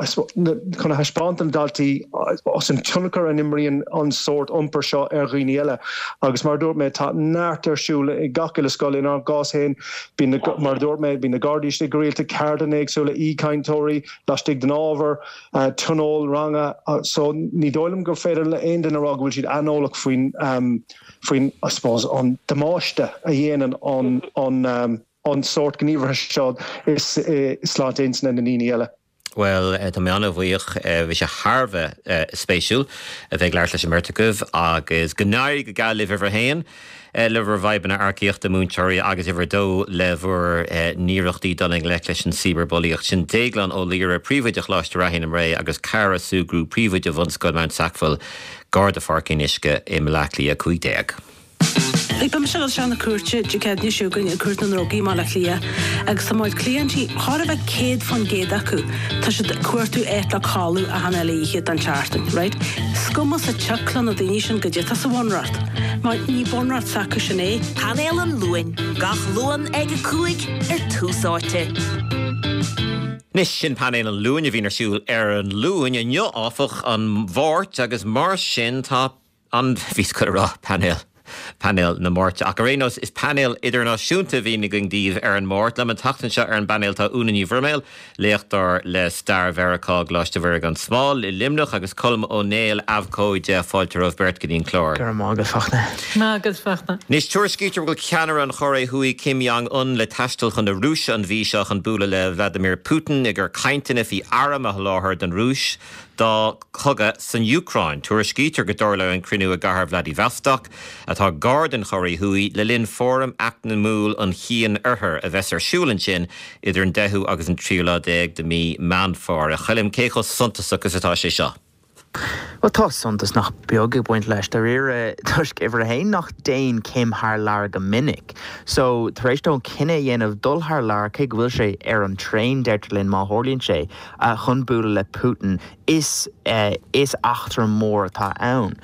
chun a thaispeáint do na daltaí an tionchar a imríonn an sórt iompair seo ar dhaoine eile. Agus mar a dúirt mé, tá neart ar siúl i gach uile scoil. Inár gcás féin, bíonn na, mar a dúirt mé, bíonn na Gardaí istigh go rialta, ceardlanna éagsúla, aoichainteoirí laistigh den ábhar, tionól ranga. So ní dóigh liom gur féidir le aon duine a rá go bhfuil siad aineolach faoin faoin, I suppose, an damáiste a dhéanann an, an, an sórt gníomhartha seo i sláinte intinne na ndaoine eile. Bhuel, tá mé an-bhuíoch. Bhí sé thar a bheith spéisiúil a bheith ag labhairt leis an mbeirt agaibh agus go n-éirí go geal libh uimhir a haon le bhur bhfadhbanna earcaíochta múinteoirí agus uimhir a dó le bhur n-iarrachtaí dul i ngleic leis an cibearbhulaíocht. Sin Déaglán Ó Laoire, Príomhoide Choláiste Raithín i mBré agus Cara Sugrue, Príomhoide Bhunscoil Mount Sackville Gar do Pháirc an Fhionnuisce i mBaile Átha Cliath 15. Beidh mise ag dul isteach na cúirte Dé Céadaoine seo chugainn i gCúirt na nDrugaí i mBaile Átha Cliath agus tá mo chuid cliaintí, chóir a bheith 100% acu, tá siad ag cuartú áit le codladh achan uile oíche den tseachtain, right? Is cuma sa tsioc le na daoine sin goidé atá sa bhunreacht, mar ní bunreacht s'acu sin é. Painéal an Luain, gach Luan ag 5 ar Tús Áite. Anois, sin Painéal an Luain a bhíonn ar siúl ar an Luan. Inniu, áfach, an Mháirt agus mar sin tá an, bhíos ag goil a rá painéal, painéal na Máirte. Ach ar aon nós, is painéal idirnáisiúnta a bhíonn againn daoibh ar an Máirt. Liom an tseachtain seo ar an bpainéal tá Úna Ní Bhroiméil, léachtóir le Stair Mheiriceá i gColáiste Mhuire gan Smál i Luimneach agus Colm Ó Néill, abhcóide. Fáilte romhaibh beirt go dtí an clár. Go raibh maith agat, Fachtna. Maith agat, Fachtna. Anois, tuairiscítear go bhfuil ceannaire an Chóiré Thuaidh Kim Jong Un le taisteal chun na Rúise an mhí seo chun bualadh le Vladimir Putin i gcomhair cainteanna faoi airm a sholáthar don Rúis dá cogadh san Úcráin. Tuairiscítear go dtarlóidh an cruinniú i gcathair Vladivostok, atá gar don Chóiré Thuaidh, le linn Fóram Eacnamúil an Chian-Oirthir a bheas ar siúl ansin idir an deichiú agus an tríú lá déag de mhí Meán Fómhair. A Choilm, cé chomh suntasach is atá sé seo? Bhuel, tá suntas nach beag ag baint leis, dáiríre, toisc, uimhir a haon, nach dtéann Kim thar lear go minic. So, tar éis dó an cinneadh a dhéanamh dul thar lear, cé go bhfuil sé ar an traein, deirtear linn, má tharlaíonn sé, chun bualadh le Putin, is, is eachtra mór atá ann.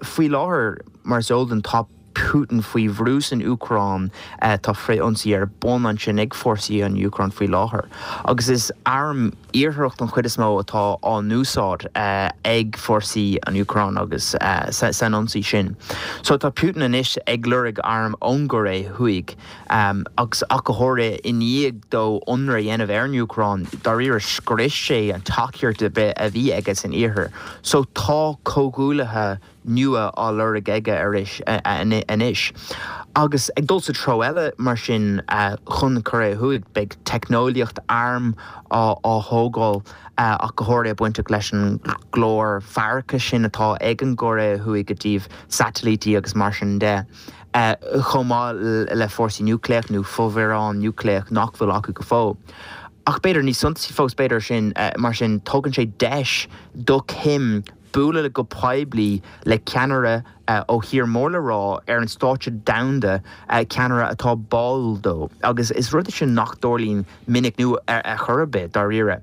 Faoi láthair, mar is eol dúinn, tá Putin faoi bhrú san Úcráin, tá frith-ionsaí ar bun ansin ag fórsaí an Úcráin faoi láthair agus is airm Iartharach den chuid is mó atá á n-úsáid ag fórsaí an Úcráin agus san ionsaí sin. So tá Putin anois ag lorg airm ón gCóiré Thuaidh. Agus ach go háirithe i ndiaidh dó ionradh a dhéanamh ar an Úcráin, dáiríre scrios sé an tacaíocht ar bith a bhí aige san iarthar. So tá comhghuaillithe nua á lorg aige arís anois. Agus ag dul sa treo eile mar sin chun na Cóiré Thuaidh, beidh teicneolaíocht airm á thógáil ach go háirithe bainteach leis an gclár faireachais sin atá ag an gCóiré Thuaidh i dtaobh satailítí agus mar sin de. chomh maith le fórsaí núicléach nó fomhuireán núicléach nach bhfuil acu go fóill. Ach b'fhéidir níos suntasaí fós, b'fhéidir sin, mar sin, tugann sé deis do Kim bualadh go poiblí le ceannaire ó thír mór le rá ar an stáitse domhanda, ceannaire atá báúil dó. Agus is rud é sin nach dtarlaíonn minic nó ar chor ar bith, dáiríre.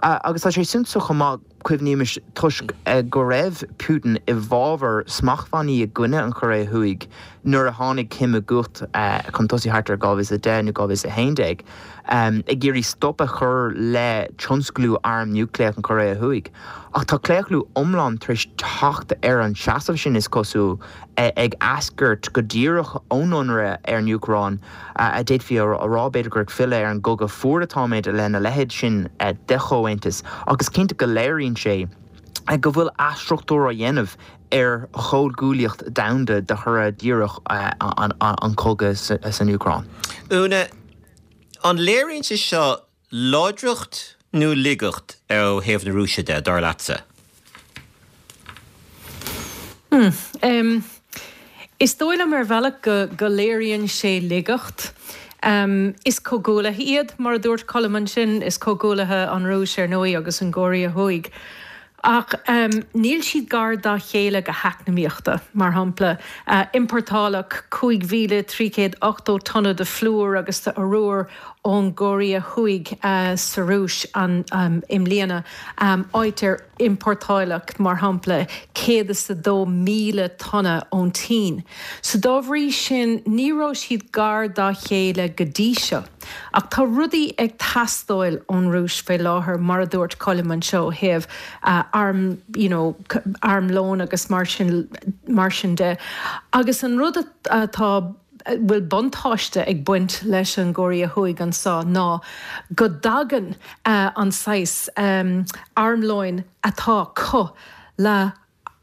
Agus tá sé suntasach chomh maith, Cuimhnímis, toisc go raibh Putin i bhfabhar smachtbhannaí i gcoinne an Chóiré Thuaidh nuair a tháinig Kim i gcumhacht chun tosaigh thart ar 2010 nó 2011, ag iarraidh stop a chur le tionsclú arm núicléach an Chóiré Thuaidh. Ach tá claochlú iomlán tar éis teacht ar an seasamh sin, is cosúil, ag eascairt go díreach ón ionradh ar an Úcráin, a d'fhéadfaí a rá, b'fhéidir, gur ag filleadh ar an gCogadh Fuar atáimid lena leithéid sin de chomhaontas, ach is cinnte go léiríonn sé go bhfuil athstruchtúrú á dhéanamh ar chomhghuaillíocht domhanda de thoradh díreach an chogaidh san Úcráin. Úna. An léiríonn sé seo láidreacht nó laigeacht ó thaobh na Rúise de, dar leatsa? Hmm. Is dóigh liom ar bhealach go go léiríonn sé laigeacht. Is comhghuaillithe iad, mar a dúirt Colm ansin, is comhghuaillithe an Rúis ar ndóigh agus an gCóiréa Thuaidh. Ach níl siad gar dá chéile go heacnamaíochta. Mar shampla, iompórtáladh 5,380 tonna de phlúr agus de arúr ón gCóiréa Thuaidh sa Rúis i mbliana, áit ar iompórtáladh, mar shampla, 102,000 tonna ón tSín. So dá bhrí sin, ní raibh siad gar dá chéile go dtí seo. Ach tá rudaí ag teastáil ón Rúis faoi láthair, mar a dúirt Colm anseo, ó thaobh arm, you know, armlón agus mar sin, mar sin de. Agus an rud atá, a bhfuil buntáiste ag baint leis an gCóiréa Thuaidh anseo ná go dtagann an saghas armlóin atá acu le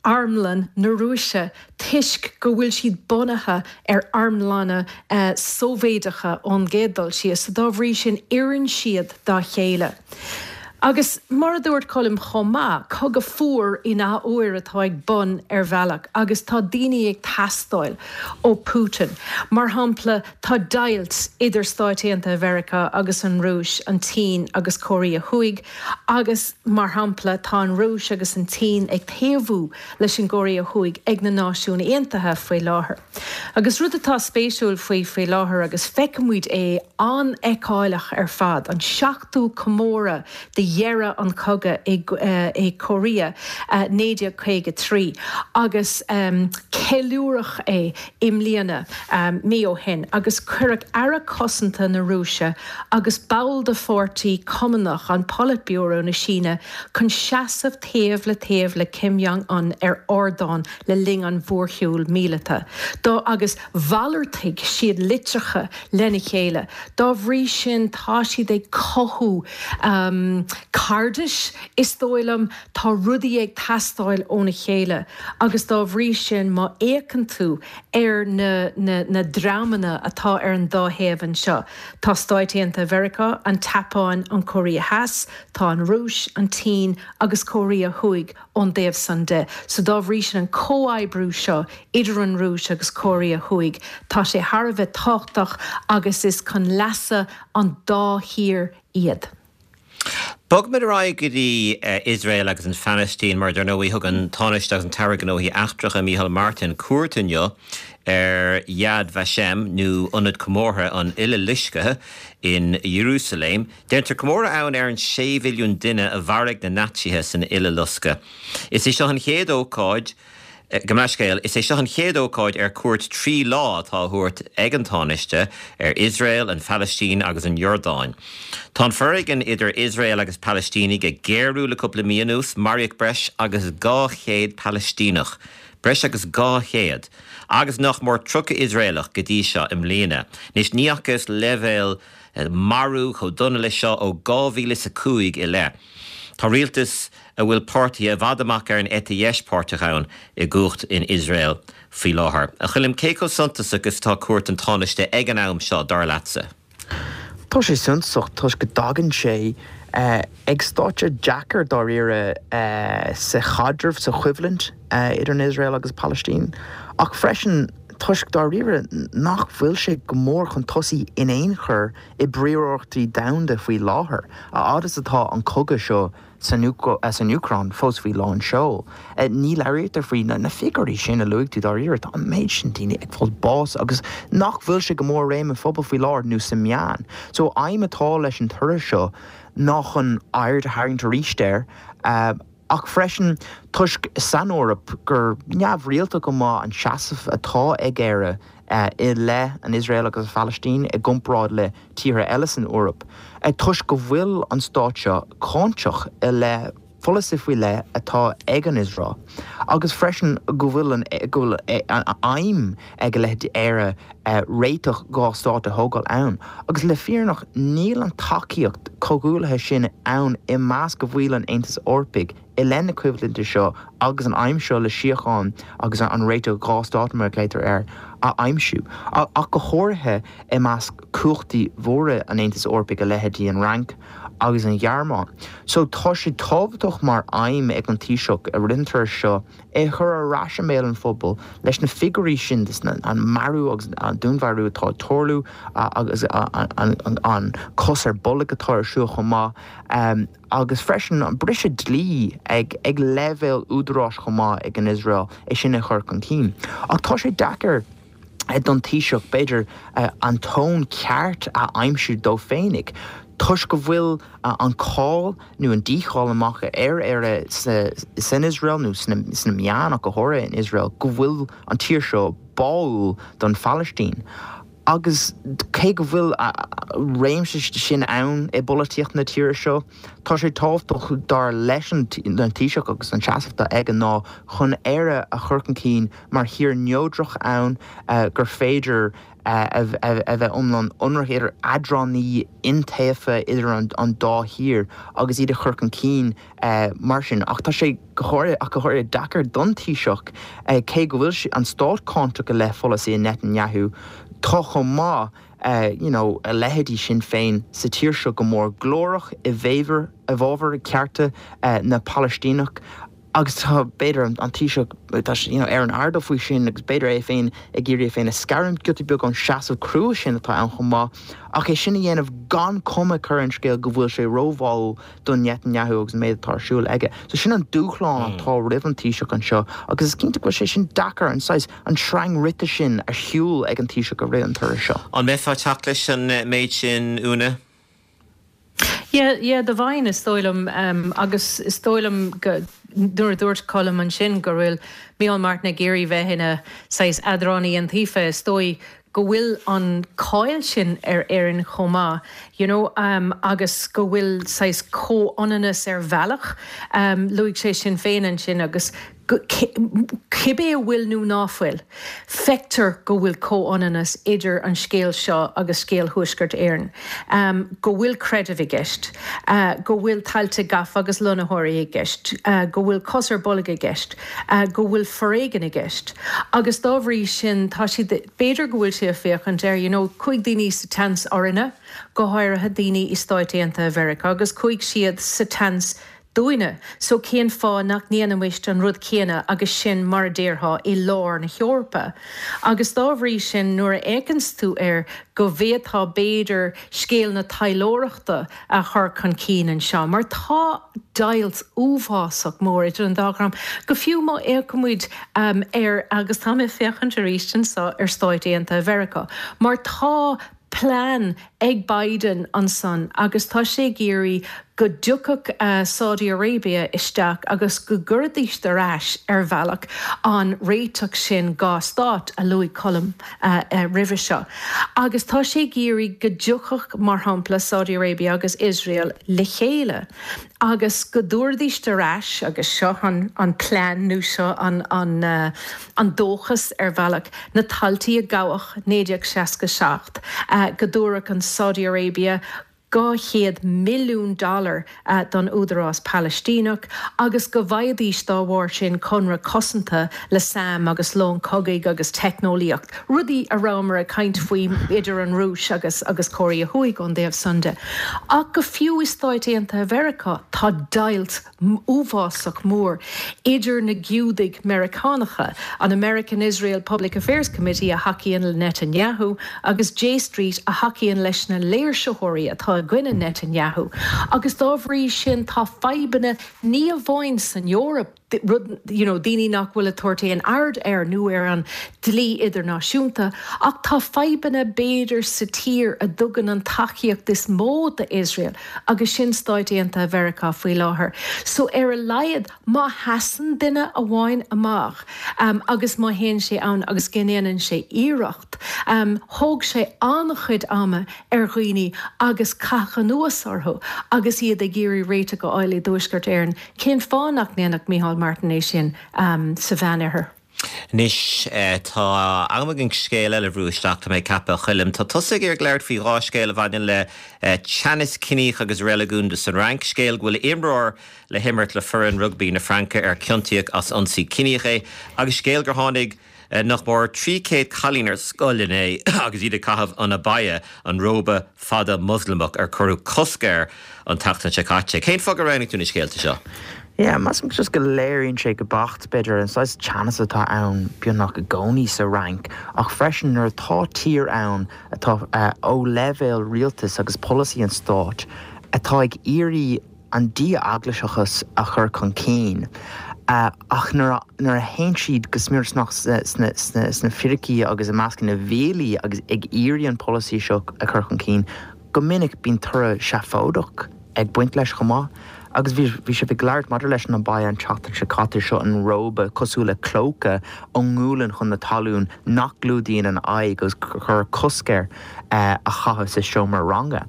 armlann na Rúise toisc go bhfuil siad bunaithe ar armlanna Sóivéadacha ón gcéad dul síos, so dá bhrí sin oireann siad dá chéile. Agus mar a dúirt Colm chomh maith, cogadh fuar in athuair atá ag bun ar bhealach agus tá daoine ag teastáil ó Putin. Mar shampla, tá deighilt idir Stáit Aontaithe Mheiriceá agus an Rúis, an tSín agus Cóiréa Thuaidh, Agus, mar shampla, tá an Rúis agus an tSín ag taobhú leis an gCóiréa Thuaidh ag na Náisiúin Aontaithe faoi láthair. Agus rud atá spéisiúil faoi faoi láthair, agus feicimid é an-fheiceálach ar fad, an seachtú comóradh de dheireadh an chogaidh i Korea 1953, agus ceiliúradh é i mbliana, mí ó shin, agus cuireadh Aire Cosanta na Rúise agus ball de Pháirtí Cumannach an Politburo na Síne chun seasamh taobh le taobh le Kim Jong Un ar ardán le linn an mhórshiúil míleata dá agus mhalartaigh siad litreacha lena chéile. Dá bhrí sin tá siad ag cothú cairdis, is dóigh liom. Tá rudaí ag teastáil óna chéile agus dá bhrí sin má fhéachann tú ar na na dreamanna atá ar an dá thaobh anseo, tá Stáit Aontaithe Mheiriceá, an tSeapáin, an Chóiréa Theas, tá an Rúis, an tSín agus Cóiréa Thuaidh ón dtaobh san de. So dá bhrí sin an comhoibriú seo idir an Rúis agus Cóiréa Thuaidh, tá sé thar a bheith tábhachtach agus is chun leasa an dá thír iad. Bogfaimid ar aghaidh go dtí Iosrael agus an Phalaistín mar dar ndóigh thug an Tánaiste agus an tAire Gnóthaí Eachtracha Micheál Martin cuairt inniu ar Yad Vashem nó Ionad Comórtha an Uileloiscthe in Iarúsailéim. Déantar comóradh ann ar an 6 mhilliún duine a mharaigh na Naitsithe san Uileloscadh. Is é seo an chéad ócáid Gabh mo leithscéal, is é seo an chéad ócáid ar cuairt 3 lá atá á thabhairt ag an Tánaiste ar Iosrael, an Phalaistín agus an Iordáin. Tá an foréigean idir Iosrael agus Palaistínigh ag géarú le cúpla mí anuas, maraíodh breis agus 200 Palaistíneach, breis agus 200, agus nach mór 30 Iosraelach go dtí seo i mbliana. Anois ní fhacthas leibhéal marú chomh dona leis seo ó 2005 i leith. Tá rialtas a bhfuil páirtithe i bhfad amach ar an eite dheis páirteach ann i gcumhacht in Iosrael faoi láthair. A Choilm, cé chomh suntasach is atá cuairt an Tánaiste ag an am seo, dar leatsa? Tá sé suntasach toisc go dtagann sé ag stáitse deacair dáiríre sa chaidreamh, sa choimhlint idir an Iosrael agus Palaistín, ach freisin toisc dáiríre nach bhfuil sé go mór chun tosaigh in aon chor i bpríorachtaí domhanda faoi láthair, a fhad is atá an cogadh seo san Úcráin fós faoi lán seoil. Ní labhraítear faoi na figiúirí sin a luaigh tú dáiríre, tá an méid sin daoine ag fáil bás agus nach bhfuil sé go mór i réim an phobail faoi láthair nó sa meán. So aidhm atá leis an turas seo ná chun aird a tharraingt arís air ach freisin toisc san Eoraip gur neamhrialta go maith an seasamh atá ag Éire i leith an Iosrael agus an Phalaistín i gcomparáid le tíortha eile san Eoraip, toisc go bhfuil an stát seo cáinteach i leith. pholasaí faoi leith atá ag an Iosrael agus freisin go bhfuil an go bhfuil an aidhm ag a leithéidí Éire réiteach 2 stát a thógáil ann. Agus le fírinneach níl an tacaíocht comhghuaillithe sin ann i measc bhaill an Aontais Eorpaigh i leith na coimhlinte seo agus an aidhm seo le síocháin agus an réiteach 2 stát mar a ghlaotar air a aimsiú, ach go háirithe i measc cumhachtaí mhóra an Aontais Eorpaigh a leithéidí an Fhrainc agus an Ghearmáin. So tá sé tábhachtach mar aidhm ag an Taoiseach i rith an turais seo é a chur ar ais i mbéal an phobail leis na figiúirí sin an marú agus an dúnmharú atá ag tarlú agus an cos ar bolg atá ar siúl chomh maith agus freisin an briseadh dlí ag leibhéal údaráis chomh maith ag an Iosrael é sin a chur chun cinn. Ach tá sé deacair don Taoiseach, b'fhéidir, an tón ceart a aimsiú dó féinig toisc go bhfuil an cáil nó an dícháil amach ar Éire san Iosrael nó sna meáin ach go háirithe in Iosrael go bhfuil an tír seo báúil don Phalaistín. Agus cé go bhfuil réimse sin ann i bpolaitíocht na tíre seo, tá sé tábhachtach dar leis an Taoiseach agus an seasamh atá aige ná chun Éire a chur chun cinn mar thír neodrach ann gur féidir a bheith iomlán ionraic idir eadránaí iontaofa idir an dá thír agus iad a chur chun cinn mar sin. Ach tá sé go háirithe ach go háirithe deacair don Taoiseach cé go bhfuil an stát cáinteach i leith pholasaí Netanyahu tá chomh maith you know a leithéidí Sinn Féin sa tír seo go mór glórach i bhfabhar i bhfabhar cearta na Palaistíneach Agus tá, b'fhéidir, an Taoiseach, tá sé, you know, ar an airdeall faoi sin agus b'fhéidir é féin ag iarraidh é féin a scarúint giota beag ón seasamh crua sin atá ann chomh maith, ach é sin a dhéanamh gan cuma a chur ar an scéal go bhfuil sé róbháúil do Netanyahu agus an méid atá ar siúl aige. So sin an dúshlán atá roimh an Taoiseach anseo agus is cinnte go bhfuil sé sin deacair, an saghas, an sreang rite sin a shiúl ag an Taoiseach i rith an turais seo. An mbeifeá ag teacht leis an méid sin, Úna? Yeah, yeah, do bheinn, is dóigh liom. Agus is dóigh liom go, nuair a dúirt Colm ansin go bhfuil Micheál Martin ag iarraidh bheith ina saghas eadránaí iontaofa, is dóigh go bhfuil an cáil sin ar Éirinn chomh maith, you know, agus go bhfuil saghas comhionannas ar bhealach, luaigh sé sin féin ansin agus Cibé a bhfuil nó ná fuil, feictear go bhfuil comhionannas idir an scéal seo agus scéal Thuaisceart Éireann, go bhfuil creideamh i gceist, go bhfuil tailte gafa agus lonnaitheoirí i gceist, go bhfuil cos ar bolg i gceist, go bhfuil foréigean i gceist. Agus dá bhrí sin, tá siad, b'fhéidir go bhfuil sé ag féachaint ar, you know, chuaigh daoine sa tseans orainne, go háirithe daoine i Stáit Aontaithe Mheiriceá, agus chuaigh siad sa tseans dúinne, so cén fáth nach ndéanfaimist an rud céanna agus sinn, mar a déarfá, i lár na hEorpa? Agus dá bhrí sin, nuair a fhéachanns tú air, go bhféadfá, b'fhéidir, scéal na taidhleoireachta a chur chun cinn anseo, mar tá deighilt uafásach mór idir an dá dhream, go fiú má fhéachaimid ar, agus tá mé ag féachaint arís anseo ar Stáit Aontaithe Mheiriceá, mar tá plean ag Biden ansan agus tá sé ag iarraidh go dtiocfadh Saudi Arabia isteach agus go gcuirfidís ar ais ar bhealach an réiteach sin 2 stát a luaigh Colm roimhe seo. Agus tá sé ag iarraidh go dtiocfadh mar shampla Saudi Arabia agus Iosrael le chéile agus go dtabharfaidís ar ais, agus seo an plean nó seo an dóchas ar bhealach, na taltaí a gabhadh 1967, go dtabharfadh an Saudi Arabia 200 milliún dollar don Údarás Palaistíneach agus go bhfaighidís dá bharr sin conradh cosanta le sam agus long cogaidh agus teicneolaíocht, rudaí a rabhamar ag caint faoi idir an Rúis agus agus Cóiréa Thuaidh ón dtaobh san de. Ach go fiú i Stáit Aontaithe Mheiriceá tá deighilt uafásach mór idir na Giúdaigh Meiriceánacha, an American Israel Public Affairs Committee a thacaíonn le Netanyahu agus J Street a thacaíonn leis na léirsitheoirí atá i gcoinne Netanyahu agus dá bhrí sin tá fadhbanna ní amháin san Eoraip. Rud, you know, daoine nach bhfuil ag tabhairt aon aird air nó ar an dlí idirnáisiúnta, ach tá fadhbanna b'fhéidir sa tír a dtugann an tacaíocht is mó do Iosrael agus sin Stáit Aontaithe Mheiriceá faoi láthair. So ar a laghad má sheasann duine amháin amach agus má théann sé ann agus go ndéanann sé iarracht, thóg sé an-chuid ama ar dhaoine agus caitheadh anuas orthu agus iad ag iarraidh réiteach a fháil i dTuaisceart Éireann. Cén fáth nach ndéanfadh Micheál Martin é sin sa Mheánoirthear? Anois, tá am againn scéal eile a bhrú isteach, tá mé ag ceapadh, a Choilm. Tá tusa ag iarraidh labhairt faoi dhá scéal a bhaineann le teannas ciníoch agus reiligiúnda san Fhrainc. Scéal go bhfuil imreoir le himirt le foireann rugbaí na Fraince ar ciontaíodh as ionsaí ciníoch é agus scéal gur tháinig Nach mór 300 cailín ar scoil inné agus iad ag caitheamh an abaya, an róba fada Moslamach ar cuireadh cosc air an tseachtain seo caite. Cén fáth gur roghnaigh tú na scéalta seo? Yeah, measaim just go léiríonn sé go beacht, b'fhéidir, an saghas teannas atá ann beagnach i gcónaí sa Fhrainc, ach freisin nuair atá tír ann atá ó leibhéal rialtais agus polasaí an stáit atá ag iarraidh an dí-eaglaiseachas a chur chun cinn, ach nuair a théann siad go smior sna fíricí agus i measc na bhfiailí agus ag iarraidh an polasaí seo a chur chun cinn, go minic bíonn toradh seafóideach ag baint leis chomh maith. Agus bhí sibh ag labhairt maidir leis an abaya an tseachtain seo caite, seo an róba cosúil le clóca ón ngualainn chun na talún nach gclúdaíonn an aghaidh agus cuireadh cosc air. a chaitheamh sa seomra ranga.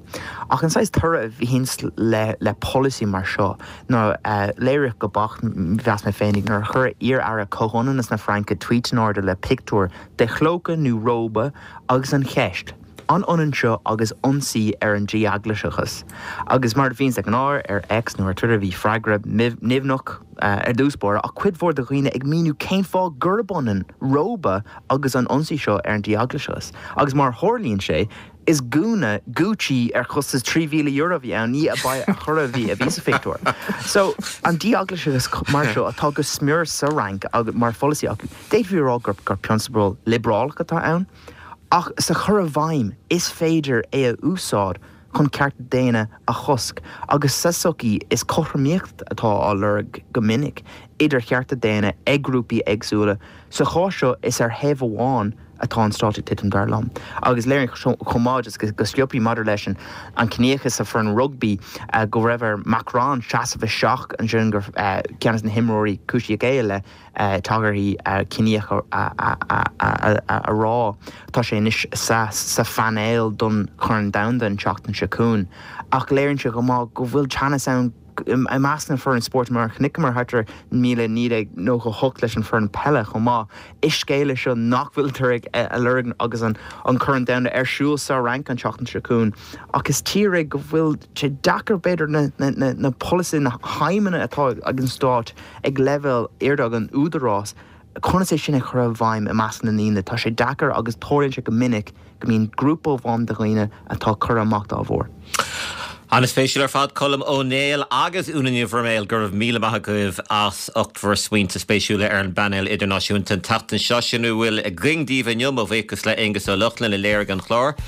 Ach an saghas toradh a bhíonns le le polasaí mar seo ná léiríodh go beacht, mheas mé féinig, nuair a chuir iar-aire comhionannas na Fraince tvuít in airde le pictiúr de chlóca nó róba agus an cheist, an ionann seo agus ionsaí ar an dí-eaglaiseachas? Agus mar a bhíonns de ghnáth ar X nó ar Twitter bhí freagra nimhneach ar dtús báire ach cuid mhór de dhaoine ag míniú cén fáth gurb ionann róba agus an ionsaí seo ar an dí-eaglaiseachas. Agus mar a tharlaíonn sé, is gúna Gucci ar chostas €3,000 a bhí ann, ní abaya ar chor ar bith a bhí sa phictiúr. So, an dí-eaglaiseachas mar seo atá go smior sa Fhrainc agus mar pholasaí acu, d'fhéadfaí a rá gur prionsabal liobrálach atá ann, ach sa chur i bhfeidhm is féidir é a úsáid chun cearta daonna a chosc agus sa tsochaí is cothromaíocht atá á lorg go minic idir chearta daonna ag grúpaí éagsúla. Sa chás seo is ar thaobh amháin atá an stát ag titim, dar liom. Agus léiríonn chomh maith just go sciobtha maidir leis an ciníochas sa foireann rugbaí go raibh ar Macron seasamh isteach ansin gur ceann de na himreoirí cúisíodh é i leith tagarthaí ciníocha a rá. Tá sé anois sa phainéal don Chorn Domhanda an tseachtain seo chugainn. Ach léiríonn sé chomh maith go bhfuil teannas ann i measc na foireann spóirt mar a chonaiceamar thart ar 1998 leis an foireann peile chomh maith. Is scéal é seo nach bhfuiltear ag a lorg agus an Corn Domhanda ar siúl sa Fhrainc an tseachtain seo chugainn. Ach is tír é go bhfuil sé deacair b'fhéidir na polasaithe, na haidhmeanna atá ag an stát ag leibhéal airde ag an údarás, conas é sin a chur i bhfeidhm i measc na ndaoine? Tá sé deacair agus tarlaíonn sé go minic go mbíonn grúpa amháin de dhaoine atá curtha amach dá bharr. An-spéisiúil ar fad, Colm Ó Néill agus Úna Ní Bhroiméil, go raibh míle maith agaibh as ucht bhur smaointe spéisiúla ar an bpainéal idirnáisiúnta an tseachtain seo. Sin a bhfuil againn daoibh inniu, mo bhuíochas le Aonghus Ó Lochlainn a léirigh an clár,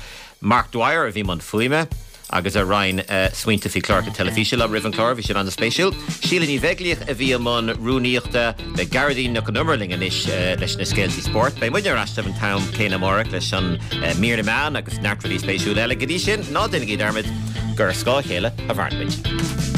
Mark Dwyer a bhí i mbun fuaime. agus a roinn smaointe faoi chláracha teilifíse liom roimh an chlár. Bhí siad an-spéisiúil. Síle Ní Bheaglaoich a bhí i mbun rúnaíochta. Beidh Gearóidín Nic Con Iomaire linn anois leis na scéaltaí spóirt. Beidh muidne ar ais libh an t-am céanna amárach leis an mír na meán agus neart rudaí spéisiúla eile. Go dtí sin, ná déanaigí dearmad gur ar scáth a chéile a mhaireann muid.